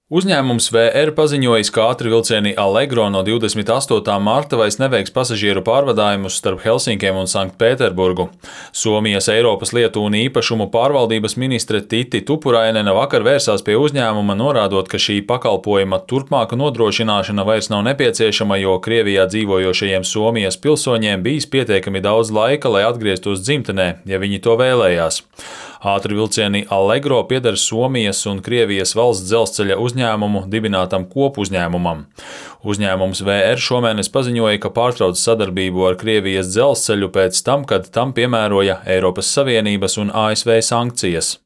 Uzņēmums VR paziņojis, ka ātrvilcieni Allegro no 28. marta vairs neveiks pasažieru pārvadājumus starp Helsinkiem un Sanktpēterburgu. Somijas Eiropas lietu un īpašumu pārvaldības ministre Titi Tupurainene vakar vērsās pie uzņēmuma, norādot, ka šī pakalpojuma turpmāka nodrošināšana vairs nav nepieciešama, jo Krievijā dzīvojošajiem Somijas pilsoņiem bijis pietiekami daudz laika, lai atgrieztos dzimtenē, ja viņi to vēlējās. Ātrvilcieni Allegro pieder Somijas un Krievijas valsts dzelzceļa uzņēmumu dibinātam kopuzņēmumam. Uzņēmums VR šomēnes paziņoja, ka pārtrauc sadarbību ar Krievijas dzelzceļu pēc tam, kad tam piemēroja Eiropas Savienības un ASV sankcijas.